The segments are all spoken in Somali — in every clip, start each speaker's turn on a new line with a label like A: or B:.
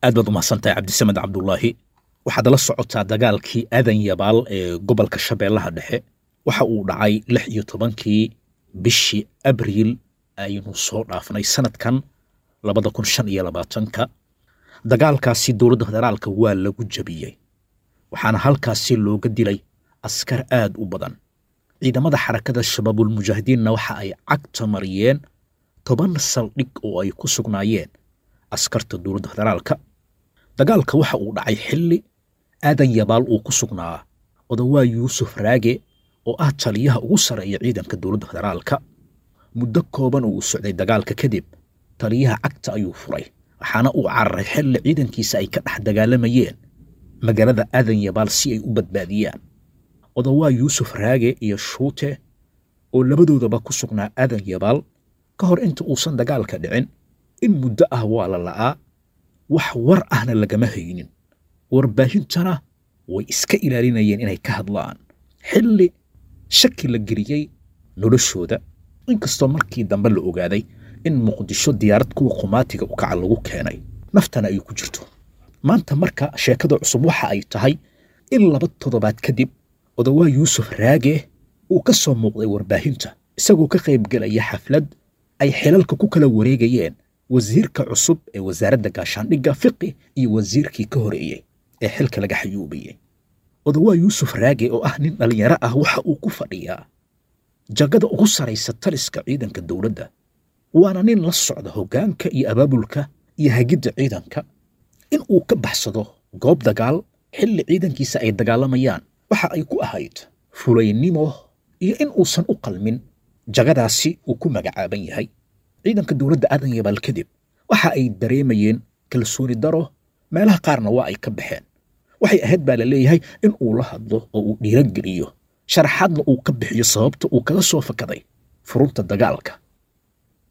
A: Aad baad umahadsantahay, Cabdisamed Cabdulaahi. Waxaad la socotaa dagaalkii Aadan Yabaal ee gobolka Shabeellaha Dhexe waxa uu dhacay 16-kii bishii Abriil aynu soo dhaafnay sanadkan 2025-ka. Dagaalkaasi dowladda federaalka waa lagu jabiyey, waxaana halkaasi looga dilay askar aad u badan. Ciidamada Xarakada Shabaabulmujaahidiinna waxa ay cagta mariyeen 10 saldhig oo ay ku sugnaayeen askarta dowladda federaalka. Dagaalka waxa uu dhacay xilli Aadan Yabaal uu ku sugnaa Odawaa Yuusuf Raage oo ah taliyaha ugu sarreeya ciidanka dowladda federaalka. Muddo kooban oo uu socday dagaalka kadib, taliyaha cagta ayuu furay, waxaana uu cararay xilli ciidankiisa ay ka dhex dagaalamayeen magaalada Aadan Yabaal si ay u badbaadiyaan. Odawaa Yuusuf Raage iyo Shuute oo labadoodaba ku sugnaa Aadan Yabaal ka hor inta uusan dagaalka dhicin, in muddo ah waa la la'aa, wax war ahna lagama haynin, warbaahintana way iska ilaalinayeen inay ka hadlaan xilli shaki la geliyey noloshooda, inkastoo markii dambe la ogaaday in Muqdisho diyaarad kuwa qumaatiga u kaca lagu keenay, naftana ay ku jirto. Maanta marka sheekada cusub waxa ay tahay in 2 toddobaad kadib Odawaa Yuusuf Raage uu ka soo muuqday warbaahinta isagoo ka qaybgelaya xaflad ay xilalka ku kala wareegayeen wasiirka cusub ee wasaaradda gaashaandhigga Fiqi iyo wasiirkii ka horeeyey ee xilka laga xayuubiyey. Odawaa Yuusuf Raage oo ah nin dhallinyaro ah waxa uu ku fadhiyaa jagada ugu saraysa taliska ciidanka dowladda, waana nin la socda hoggaanka iyo abaabulka iyo hagidda ciidanka. In uu ka baxsado goob dagaal xilli ciidankiisa ay dagaalamayaan waxa ay ku ahayd fulaynimo iyo in uusan u qalmin jagadaasi uu ku magacaaban yahay. Ciidanka dowladda Aadan Yabaal kadib waxa ay dareemayeen kalsooni daro, meelaha qaarna waa ay ka baxeen. Waxay ahayd baa la leeyahay in uu la hadlo oo uu dhiirogeliyo, sharaxaadna uu ka bixiyo sababta uu kaga soo fakaday furunta dagaalka.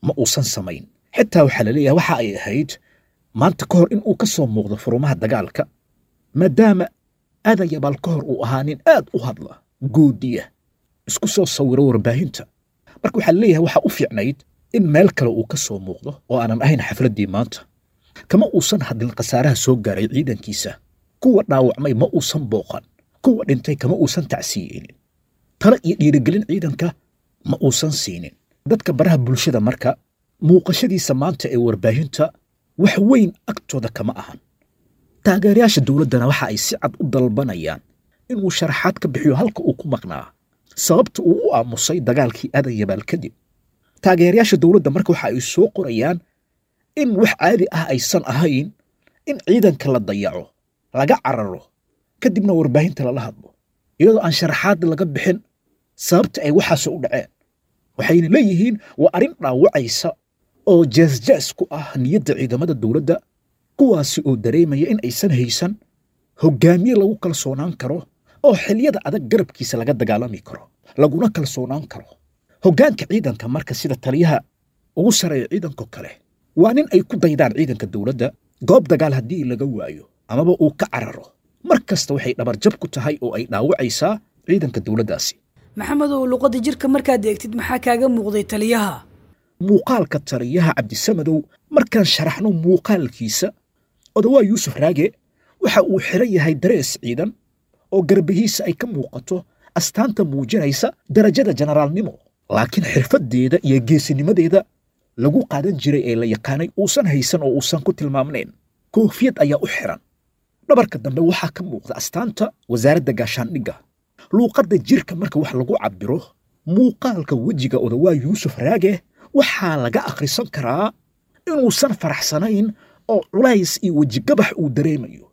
A: Ma uusan samayn. Xitaa waxaa la leeyahay waxa ay ahayd maanta ka hor in uu ka soo muuqdo furumaha dagaalka, maadaama Aadan Yabaal ka hor uu ahaa nin aad u hadla, goodiya, isku soo sawiro warbaahinta. Marka waxaa leeyahay waxaa u fiicnayd in meel kale uu ka soo muuqdo oo aanan ahayn xafladdii maanta. Kama uusan hadlin khasaaraha soo gaaray ciidankiisa. Kuwa dhaawacmay ma uusan booqan, kuwa dhintay kama uusan tacsiyeynin, talo iyo dhiirigelin ciidanka ma uusan siinin. Dadka baraha bulshada marka muuqashadiisa maanta ee warbaahinta wax weyn agtooda kama ahan. Taageerayaasha dowladdana waxa ay si cad u dalbanayaan inuu sharaxaad ka bixiyo halka uu ku maqnaa, sababta uu u aamusay dagaalkii Aadan Yabaal kadib. Taageerayaasha dowladda marka waxa ay soo qorayaan in wax caadi ah aysan ahayn in ciidanka la dayaco, laga cararo, kadibna warbaahinta lala hadlo iyadoo aan sharaxaad laga bixin sababta ay waxaas u dhaceen. Waxayna leeyihiin waa arrin dhaawacaysa oo jeesjees ku ah niyadda ciidamada dowladda, kuwaasi oo dareemaya in aysan haysan hoggaamiye lagu kalsoonaan karo oo xilliyada adag garabkiisa laga dagaalami karo laguna kalsoonaan karo. Hoggaanka ciidanka marka sida taliyaha ugu sarreeya ciidanko kale waa nin ay ku daydaan ciidanka dowladda. Goob dagaal haddii laga waayo amaba uu ka cararo, mar kasta waxay dhabarjab ku tahay oo ay dhaawacaysaa ciidanka dowladdaasi.
B: Maxamedow, luqadda jirka markaad eegtid maxaa kaaga muuqday taliyaha?
A: Muuqaalka taliyaha, Cabdisamadow, markaan sharaxno muuqaalkiisa, Odawaa Yuusuf Raage waxa uu xiran yahay darees ciidan oo garbihiisa ay ka muuqato astaanta muujinaysa darajada generaalnimo, laakiin xirfaddeeda iyo geesinimadeeda lagu qaadan jiray ee la yaqaanay uusan haysan oo uusan ku tilmaamnayn. Koofiyad ayaa u xiran. Dhabarka dambe waxaa ka muuqda astaanta wasaaradda gaashaandhigga. Luuqadda jirka marka wax lagu cabbiro, muuqaalka wejiga Odawaa Yuusuf Raage waxaa laga akhrisan karaa inuusan faraxsanayn oo culays iyo wejigabax uu dareemayo,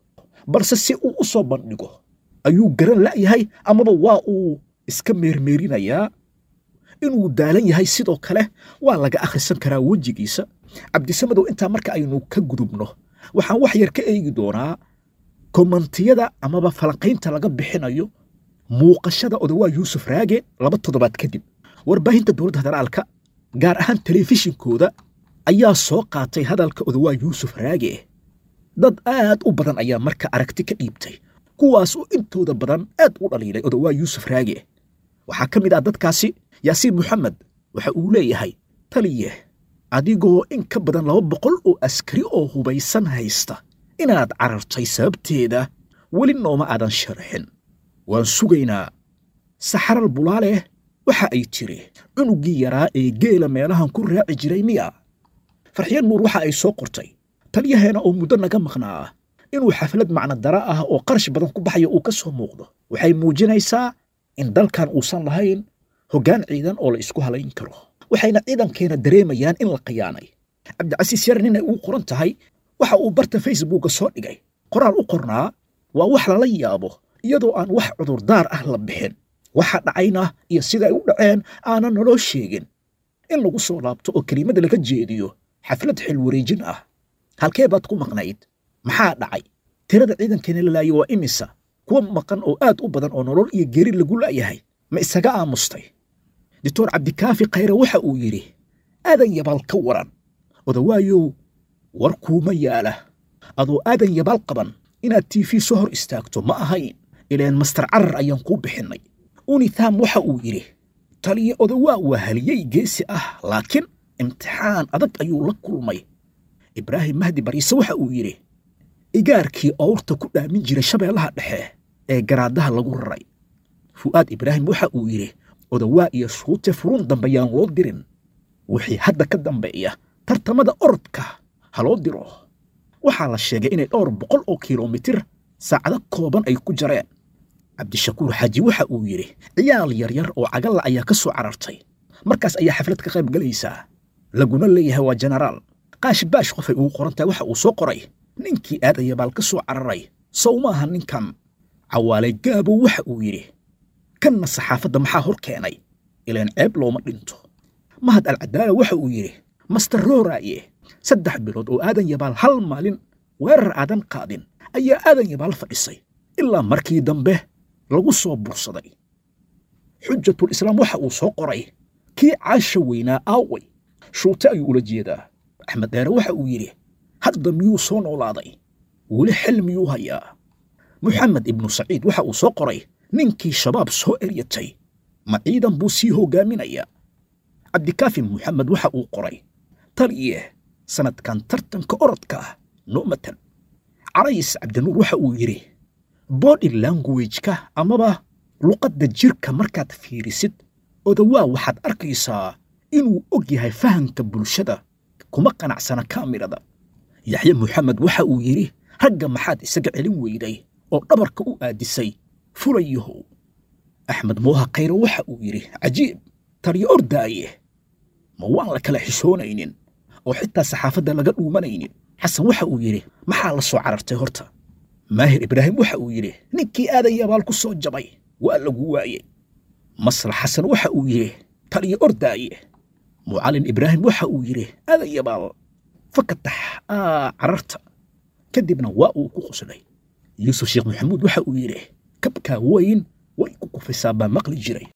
A: balse si uu u soo bandhigo ayuu garan la'yahay amaba waa uu iska meermeerinayaa. Inuu daalan yahay sidoo kale waa laga akhrisan karaa wejigiisa. Cabdisamadow, intaa marka aynu ka gudubno, waxaan wax yar ka eegi doonaa komantiyada amaba falanqaynta laga bixinayo muuqashada Odawaa Yuusuf Raage 2 toddobaad kadib. Warbaahinta dowladda federaalka, gaar ahaan telefishinkooda, ayaa soo qaatay hadalka Odawaa Yuusuf Raage. Dad aad u badan ayaa marka aragti ka dhiibtay, kuwaas oo intooda badan aad u dhaliilay Odawaa Yuusuf Raage. Waxaa ka mid ah dadkaasi Yaasiin Moxamed. Waxa uu leeyahay: taliye, adigoo in ka badan 200 oo askari oo hubaysan haysta Inaad carartay sababteeda weli nooma aadan sharxin, waan sugaynaa. Saxaral Bulaaleh waxa ay tiri, cunuggii yaraa ee geela meelahan ku raaci jiray miya? Farxiyo Nuur waxa ay soo qortay, taliyaheena oo muddo naga maqnaa inuu xaflad macnodara ah oo qarash badan ku baxayo uu ka soo muuqdo waxay muujinaysaa in dalkan uusan lahayn hoggaan ciidan oo la isku halayn karo, waxayna ciidankeena dareemayaan in la khiyaanay. Cabdicasiis Yar ninay ugu qoran tahay waxa uu barta Facebooka soo dhigay qoraal u qornaa, waa wax lala yaabo iyadoo aan wax cudurdaar ah la bixin, waxa dhacayna iyo sida ay u dhaceen aanan naloo sheegin, in lagu soo laabto oo kelimada laga jeediyo xaflad xilwareejin ah. Halkee baad ku maqnayd? Maxaa dhacay? Tirada ciidankeena la laayay waa imisa? Kuwa maqan oo aad u badan oo nolol iyo geri lagu la'yahay ma isaga aamustay? Doctor Cabdikaafi Khayre waxa uu yidhi, Aadan Yabaal ka waran? Odawaayow, war kuuma yaala. Adoo Aadan Yabaal qaban inaad TV soo hor istaagto ma ahayn, ileen Master Carar ayaan kuu bixinnay. Unitham waxa uu yidhi, taliya Odawaa waa haliyey geesi ah, laakiin imtixaan adag ayuu la kulmay. Ibraahim Mahdi Bariise waxa uu yidhi, igaarkii owrta ku dhaamin jiray Shabeellaha Dhexe ee garaadaha lagu raray. Fu'aad Ibraahim waxa uu yidhi, Odawaa iyo Shuute furun dambe yaan loo dirin, wixii hadda ka dambeeya tartamada orodka ha loo diro. Waxaa la sheegay inay dhowr boqol oo kilomitir saacado kooban ay ku jareen. Cabdishakuur Xaaji waxa uu yidhi, ciyaal yaryar oo cagalla ayaa ka soo carartay, markaas ayaa xaflad ka qayb galaysaa, laguna leeyahay waa jenaraal. Qaash Baash qofay ugu qoran tahay waxa uu soo qoray, ninkii Aadaya Baal ka soo cararay sow maaha ninkan? Cawaale Gaabow waxa uu yidhi, kanna saxaafadda maxaa hor keenay? Ileen ceeb looma dhinto. Mahad Alcadaala waxa uu yidhi, Master Rooraaye, 3 bilood oo Aadan Yabaal hal maalin weerar aadan qaadin ayaa Aadan Yabaal fadhisay ilaa markii dambe lagu soo bursaday. Xujatul Islaam waxa uu soo qoray, kii caasha weynaa aaway? Shuute ayuu ula jeedaa. Axmed Dheere waxa uu yidhi, hadda miyuu soo noolaaday? Weli xil miyuu hayaa? Moxamed Ibnu Saciid waxa uu soo qoray, ninkii Shabaab soo eryatay ma ciidan buu sii hoggaaminayaa? Cabdikaafi Moxamed waxa uu qoray, taliye sanadkan tartanka orodka ah noo matan. Carays Cabdinuur waxa uu yidhi, body language-ka amaba luqadda jirka markaad fiirisid Odawaa waxaad arkaysaa inuu og yahay fahamka bulshada, kuma qanacsana kaamirada. Yaxye Moxamed waxa uu yidhi, ragga maxaad isaga celin weyday oo dhabarka u aadisay fulayahow? Axmed Mooha Khayre waxa uu yidhi, cajiib, taliyo ordaaye, ma waan la kala xishoonaynin oo xitaa saxaafadda laga dhuumanaynin? Xasan waxa uu yidhi, maxaa la soo carartay horta? Maahir Ibraahim waxa uu yidhi, ninkii Aadan Yabaal ku soo jabay waa lagu waayey. Maslax Xasan waxa uu yidhi, taliyo ordaaye. Mucallin Ibraahim waxa uu yidhi, Aadan Yabaal fakatax aa cararta, kadibna waa uu ku qoslay. Yuusuf Sheekh Maxamuud waxa uu yidhi, kabkaa weyn way ku kufisaa baa maqli jiray.